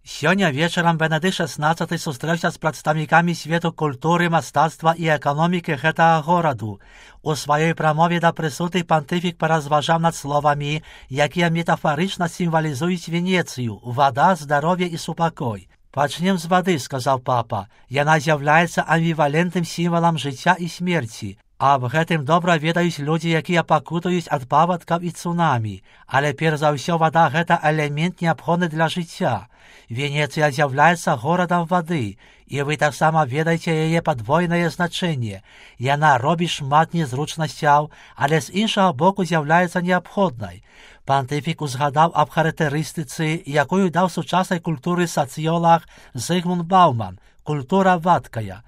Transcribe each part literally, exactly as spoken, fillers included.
Сёння вечарам Бенедыкт шэснаццаты сустрэўся з прадстаўнікамі свету культуры, мастацтва і эканомікі гэтага гораду. У сваёй прамове да прысутных пантыфік паразважаў над словамі, якія метафарычна сімвалізуюць Венецыю: вада, здароўе і супакой. «Пачнем з вады», — сказаў папа. «Яна з'яўляецца амбівалентным сімвалам жыцця і смерці. Аб гэтым добра ведаюць людзі, якія пакутуюць ад паводкаў і цунамі. Але перш за ўсё вада — гэта элемент неабходны для жыцця. Венецыя з'яўляецца горадам вады, і вы таксама ведаеце яе падвойнае значэнне. Яна робіць шмат незручнасцяў, але з іншага боку з'яўляецца неабходнай». Пантыфік узгадаў аб характарыстыцы, якую даў сучаснай культуры сацыёлаг Зігмунд Бауман — культура вадкая.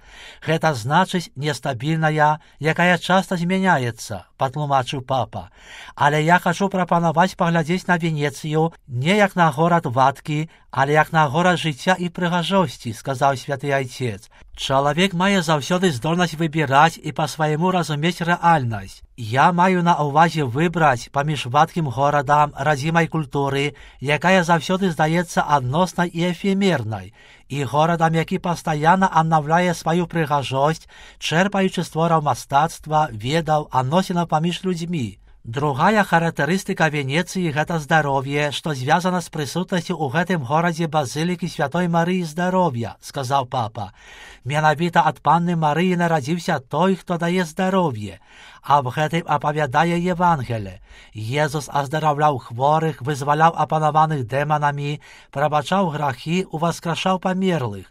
«Гэта значыць нестабільная, якая часта змяняецца», — патлумачыў папа. «Але я хачу прапанаваць паглядзець на Венецыю не як на горад вадкі, але як на горад жыцця і прыгажосці», — сказаў святы айцец. «Чалавек мае заўсёды здольнасць выбіраць і па-свайму разумець рэальнасць. Я маю на ўвазе выбраць паміж вадкім горадам радзімай культуры, якая заўсёды здаецца адноснай і эфемернай, і горадам, які пастаянна аднаўляе сваю прыгажосць, чэрпаючы з твораў мастацтва, ведаў, адносінаў паміж людзьмі». Другая характарыстыка Венецыі — гэта здароўе, што звязана з прысутнасцю ў гэтым горадзе базылікі святой Марыі здароўя, — сказаў папа. «Менавіта ад панны Марыі нарадзіўся той, хто дае здароўе. Аб гэтым апавядае Евангеле. Езус аздараўляў хворых, вызваляў апанаваных дэманамі, прабачаў грахі, уваскрашаў памерлых.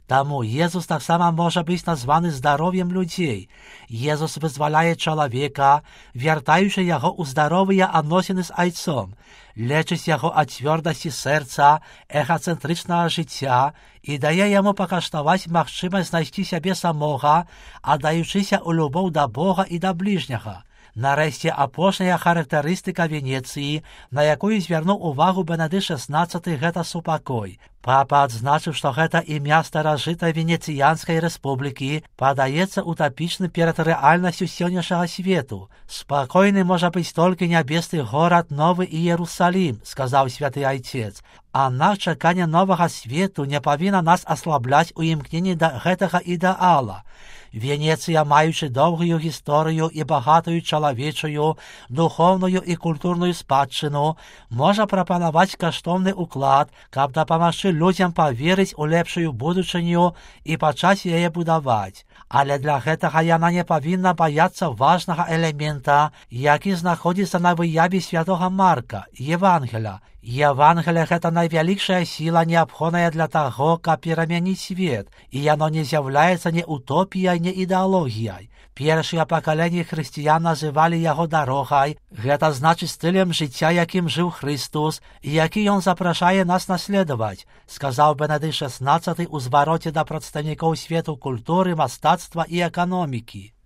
Таму Езус таксама можа быць названы здароўем людзей. Езус вызваляе чалавека, вяртаючы яго ў здаровыя адносіны з айцом, лечыць яго ад цвёрдасці сэрца, эгацэнтрычнага жыцця і дае яму пакаштаваць магчымасць знайсці сябе самога, аддаючыся ў любоў да Бога і да бліжняга». Нарэшце, апошняя характарыстыка Венецыі, на якую звярнуў увагу Бенедыкт шэснаццаты, гэта супакой. Папа адзначыў, што гэта імя старажытай Венецыянскай рэспублікі падаецца утапічным перад рэальнасцю сённяшняга свету. «Спакойны можа быць толькі нябесны горад Новы Іерусалім», — сказаў святы айцец. «Аднак чаканне новага свету не павінна нас аслабляць у імкненні да гэтага ідэала. Венецыя, маючы доўгую гісторыю і багатую чалавечую, духоўную і культурную спадчыну, можа прапанаваць каштоўны ўклад, каб дапамагчы людзям паверыць у лепшую будучыню і пачаць яе будаваць. Але для гэтага яна не павінна баяцца важнага элемента, які знаходзіцца на выяве святога Марка — Евангеля. Евангелие — гэта найвялікшая сіла, неабходная для таго, каб перамяніць свет, і яно не з'яўляецца не утопіяй, не ідэалогіяй. Першыя пакаленні хрысціян называлі яго дарогай, гэта значыць стылем жыцця, якім жыў Хрыстус, і які ён запрашае нас наследаваць, сказаў Бенедыкт шэснаццаты ў звароце да прадстаўнікоў свету культуры, мастацтва і эканомікі.